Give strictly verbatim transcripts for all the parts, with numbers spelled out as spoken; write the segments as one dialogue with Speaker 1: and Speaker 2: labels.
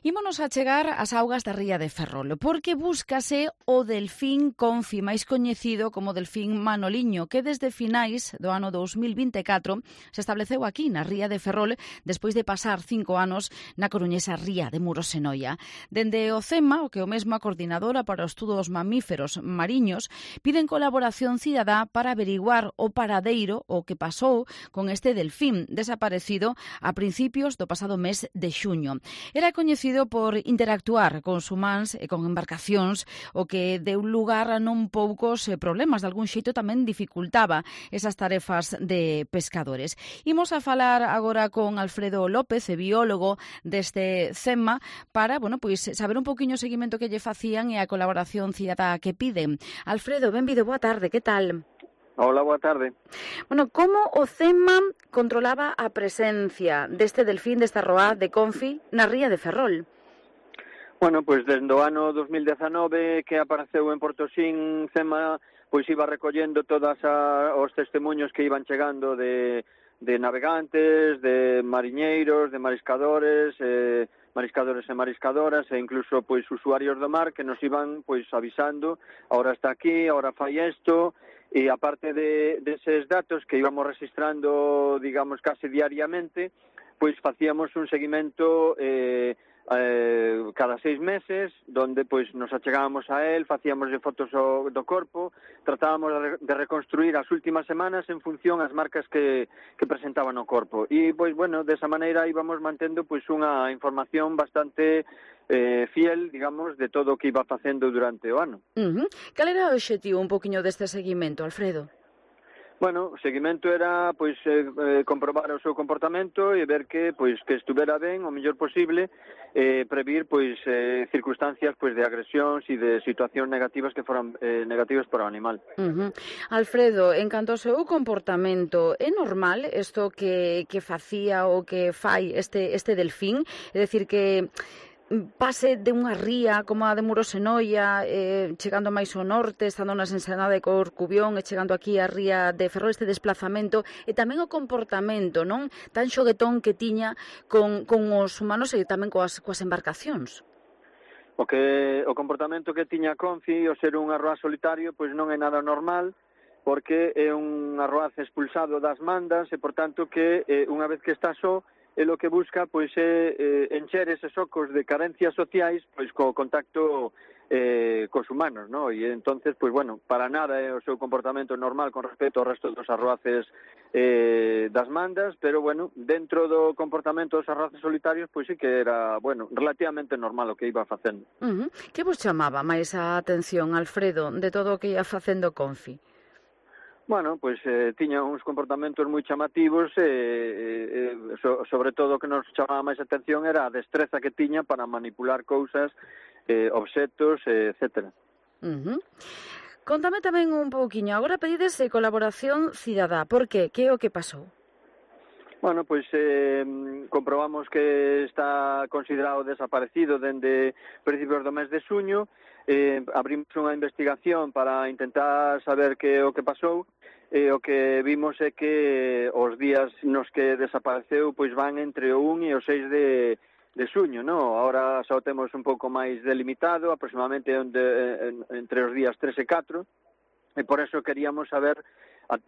Speaker 1: Ímonos a chegar ás augas da ría de Ferrol, porque búscase o delfín Confi, máis coñecido como delfín Manoliño, que desde finais do ano dous mil vinte e catro se estableceu aquí na ría de Ferrol despois de pasar cinco anos na coruñesa ría de Muros e Noia. Dende o CEMA, o que é o mesmo a Coordinadora para o Estudo dos Mamíferos Mariños, piden colaboración cidadá para averiguar o paradeiro o que pasou con este delfín desaparecido a principios do pasado mes de xuño. Era coñecido por interactuar con humanos e con embarcacións, o que deu lugar a non poucos problemas, de algún xeito tamén dificultaba esas tarefas de pescadores. Imos a falar agora con Alfredo López, biólogo deste CEMA, para, bueno, pois saber un poquinho o seguimento que lle facían e a colaboración cidadá que piden. Alfredo, benvido, boa tarde, que tal?
Speaker 2: Hola, boa tarde.
Speaker 1: Bueno, como o CEMA controlaba a presencia deste delfín, desta roá de Confi, na ría de Ferrol?
Speaker 2: Bueno, pois desde o ano dos mil dezanove que apareceu en Portosín, CEMA pois iba recollendo todos os testemunhos que iban chegando de, de navegantes, de mariñeiros, de mariscadores, eh, mariscadores e mariscadoras e incluso pois usuarios do mar que nos iban pois avisando, ahora está aquí, ahora fai isto. E aparte de deses datos que íbamos registrando, digamos, case diariamente, pois facíamos un seguimento eh, eh, cada seis meses, donde pois nos achegábamos a él, facíamos fotos do corpo, tratábamos de reconstruir as últimas semanas en función ás marcas que, que presentaban o corpo. E, pois, bueno, desa maneira íbamos mantendo pois unha información bastante Eh, fiel, digamos, de todo o que iba facendo durante o ano.
Speaker 1: Uh-huh. Cal era o obxectivo un poquinho deste seguimento, Alfredo?
Speaker 2: Bueno, o seguimento era pois eh, comprobar o seu comportamento e ver que pois que estuvera ben o mellor posible, eh, previr pois eh, circunstancias pois de agresións e de situacións negativas que foran eh, negativas para o animal.
Speaker 1: Uh-huh. Alfredo, en canto ao seu comportamento, é normal isto que que facía ou que fai este este delfín? É dicir que pase de unha ría como a de Muros e Noia, eh, chegando máis ao norte, estando nas Ensenada de Corcubión e chegando aquí a ría de Ferrol, este desplazamento, e tamén o comportamento non tan xoguetón que tiña con, con os humanos e tamén coas, coas embarcacións.
Speaker 2: O que o comportamento que tiña Confi, o ser un arroaz solitario, pois non é nada normal, porque é un arroaz expulsado das mandas e, por tanto, que eh, unha vez que está só, e lo que busca pois é eh, encher eses ocos de carencias sociais pois co contacto eh, cos humanos, ¿no? E entonces, pois bueno, para nada é o seu comportamento normal con respecto ao resto dos arroaces eh, das mandas, pero bueno, dentro do comportamento dos arroaces solitarios, pois sí que era, bueno, relativamente normal o que iba facendo.
Speaker 1: Uh-huh. Que vos chamaba máis a atención, Alfredo, de todo o que ia facendo Confi?
Speaker 2: Bueno, pois eh, tiña uns comportamentos moi chamativos e, eh, so, sobre todo o que nos chamaba máis atención era a destreza que tiña para manipular cousas, eh, obxectos, eh, etcétera.
Speaker 1: Uh-huh. Contame tamén un pouquiño, agora pedides colaboración cidadá, por que? Que é o que pasou?
Speaker 2: Bueno, pois eh, comprobamos que está considerado desaparecido dende principios do mes de xuño, eh, abrimos unha investigación para intentar saber que o que pasou, e o que vimos é que os días nos que desapareceu pois van entre o un e o seis de, de xuño, no? Ahora só temos un pouco máis delimitado, aproximadamente onde, entre os días tres e catro, e por eso queríamos saber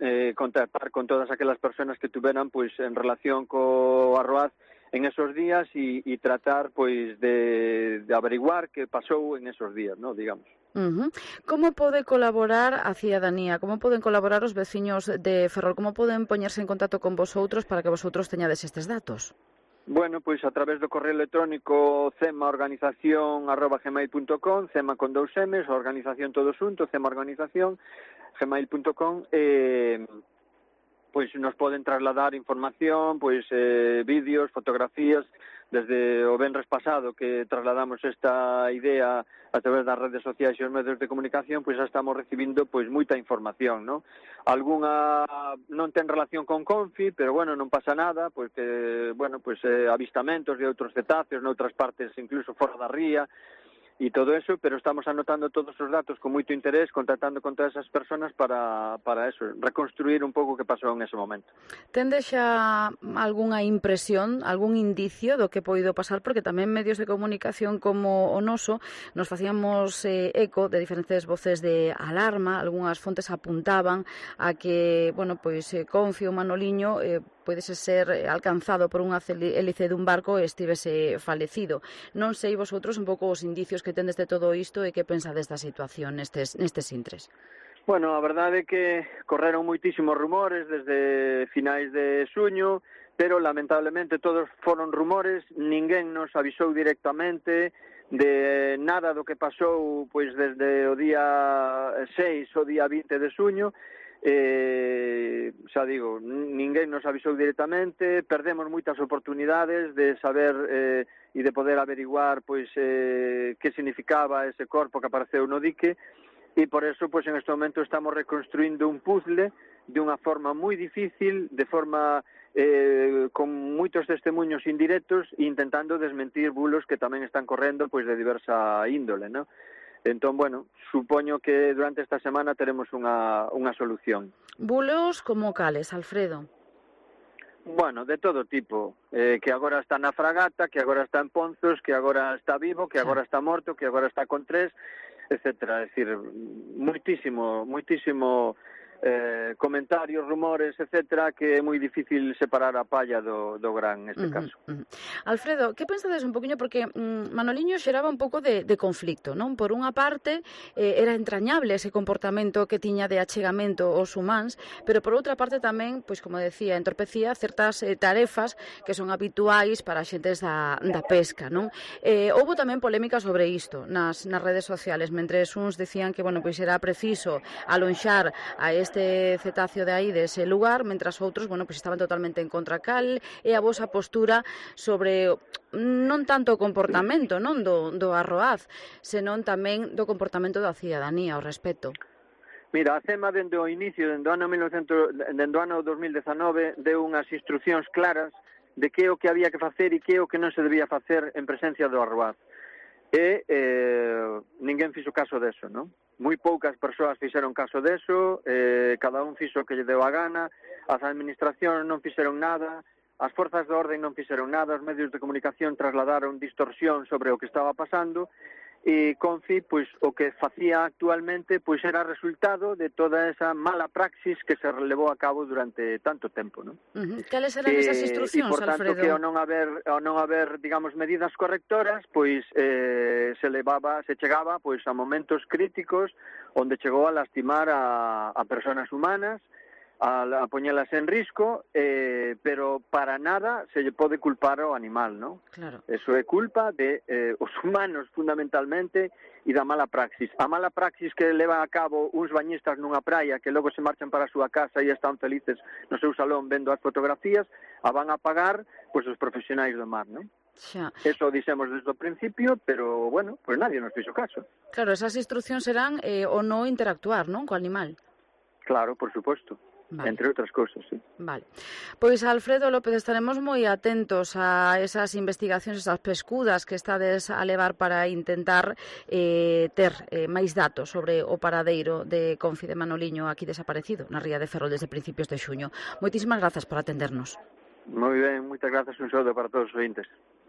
Speaker 2: eh, contactar con todas aquelas persoas que tuveran pois en relación co arroaz en esos días e, e tratar pois de, de averiguar que pasou en esos días, no, digamos.
Speaker 1: Uh-huh. Como pode colaborar a cidadanía? Como poden colaborar os veciños de Ferrol? Como poden poñerse en contacto con vosotros para que vosotros teñades estes datos?
Speaker 2: Bueno, pois a través do correo electrónico cemaorganización arroba gmail punto com, cema con dous emes, organización todo xunto, cemaorganización gmail punto com, e pois nos poden trasladar información, pois eh, vídeos, fotografías. Desde o venres pasado que trasladamos esta idea a través das redes sociais e os medios de comunicación, pois xa estamos recibindo pois moita información, ¿no? Algúnha non ten relación con Confi, pero bueno, non pasa nada, pois que, bueno, pois eh, avistamentos de outros cetáceos noutras partes, incluso fora da ría, e todo eso, pero estamos anotando todos os datos con moito interés, contactando con todas esas personas para, para eso, reconstruir un pouco o que pasou en ese momento.
Speaker 1: Tende xa algunha impresión, algún indicio do que poido pasar, porque tamén medios de comunicación como o noso nos facíamos eh, eco de diferentes voces de alarma, algunhas fontes apuntaban a que, bueno, pois eh, Confio Manoliño eh, podese ser alcanzado por unha hélice dun barco e estivese falecido. Non sei vosotros un pouco os indicios que tendes de todo isto e que pensades da situación nestes, nestes intres.
Speaker 2: Bueno, a verdade é que correron moitísimos rumores desde finais de xuño, pero lamentablemente todos foron rumores, ninguén nos avisou directamente de nada do que pasou pois desde o día seis ao día vinte de xuño. Eh, xa digo, ninguén nos avisou directamente, perdemos moitas oportunidades de saber eh, e de poder averiguar pois eh, que significaba ese corpo que apareceu no dique, e por eso pois en este momento estamos reconstruindo un puzzle de unha forma moi difícil, de forma eh, con moitos testemunhos indirectos e intentando desmentir bulos que tamén están correndo pois de diversa índole, ¿no? Entón, bueno, supoño que durante esta semana teremos unha, unha solución.
Speaker 1: Bulos como cales, Alfredo?
Speaker 2: Bueno, de todo tipo, eh, que agora está na fragata, que agora está en Ponzos, que agora está vivo, que agora está morto, que agora está con tres, etcétera. É dicir, moitísimo, moitísimo eh, comentarios, rumores, etcétera, que é moi difícil separar a palla do, do gran neste
Speaker 1: uh-huh,
Speaker 2: caso.
Speaker 1: Uh-huh. Alfredo, que pensades un poquinho, porque mm, Manoliño xeraba un pouco de, de conflicto, non? Por unha parte, eh, era entrañable ese comportamento que tiña de achegamento aos humáns, pero por outra parte tamén, pois como decía, entorpecía certas eh, tarefas que son habituais para xentes da, da pesca, non? Eh, houbo tamén polémica sobre isto nas, nas redes sociales, mentre uns decían que, bueno, pois era preciso alonxar a este este cetáceo de aí dese lugar, mentras outros, bueno, pois estaban totalmente en contra. Cal e a vosa postura sobre non tanto o comportamento, non do, do Arroaz, senón tamén do comportamento da cidadanía ao respecto?
Speaker 2: Mira, a CEMA dende o inicio, dende o ano mil novecentos, dende o ano dos mil dezanove, deu unhas instruccións claras de que o que había que facer e que o que non se debía facer en presencia do Arroaz. E eh, ninguén fixo caso deso, non? Moi poucas persoas fixeron caso deso, eh, cada un fixo o que lle deu a gana, as administracións non fixeron nada, as forzas de orden non fixeron nada, os medios de comunicación trasladaron distorsión sobre o que estaba pasando, e Confi, pois, o que facía actualmente, pois era resultado de toda esa mala praxis que se relevou a cabo durante tanto tempo, non?
Speaker 1: Uh-huh. Cales eran esas instruccións,
Speaker 2: Alfredo? E, por tanto,
Speaker 1: Alfredo?
Speaker 2: que ao non haber, ao non haber, digamos, medidas correctoras, pois eh, se levaba, se chegaba, pois, a momentos críticos onde chegou a lastimar a, a persoas humanas, a, a poñelas en risco, eh, pero para nada se lle pode culpar ao animal, non?
Speaker 1: Claro.
Speaker 2: Eso é culpa de eh, os humanos, fundamentalmente, e da mala praxis. A mala praxis que leva a cabo uns bañistas nunha praia que logo se marchan para a súa casa e están felices no seu salón vendo as fotografías, a van a pagar pois os profesionais do mar, non?
Speaker 1: Xa.
Speaker 2: Eso dixemos desde o principio, pero, bueno, pois nadie nos fixo caso.
Speaker 1: Claro, esas instruccións serán eh, o non interactuar, non, co animal.
Speaker 2: Claro, por suposto. Vale. Entre outras cousas, sí.
Speaker 1: Vale. Pois, Alfredo López, estaremos moi atentos a esas investigacións, esas pescudas que estades a levar para intentar eh, ter eh, máis datos sobre o paradeiro de Confi de Manoliño aquí desaparecido na ría de Ferrol desde principios de xuño. Moitísimas grazas por atendernos.
Speaker 2: Moi ben, moitas grazas, un saúdo para todos os ointes.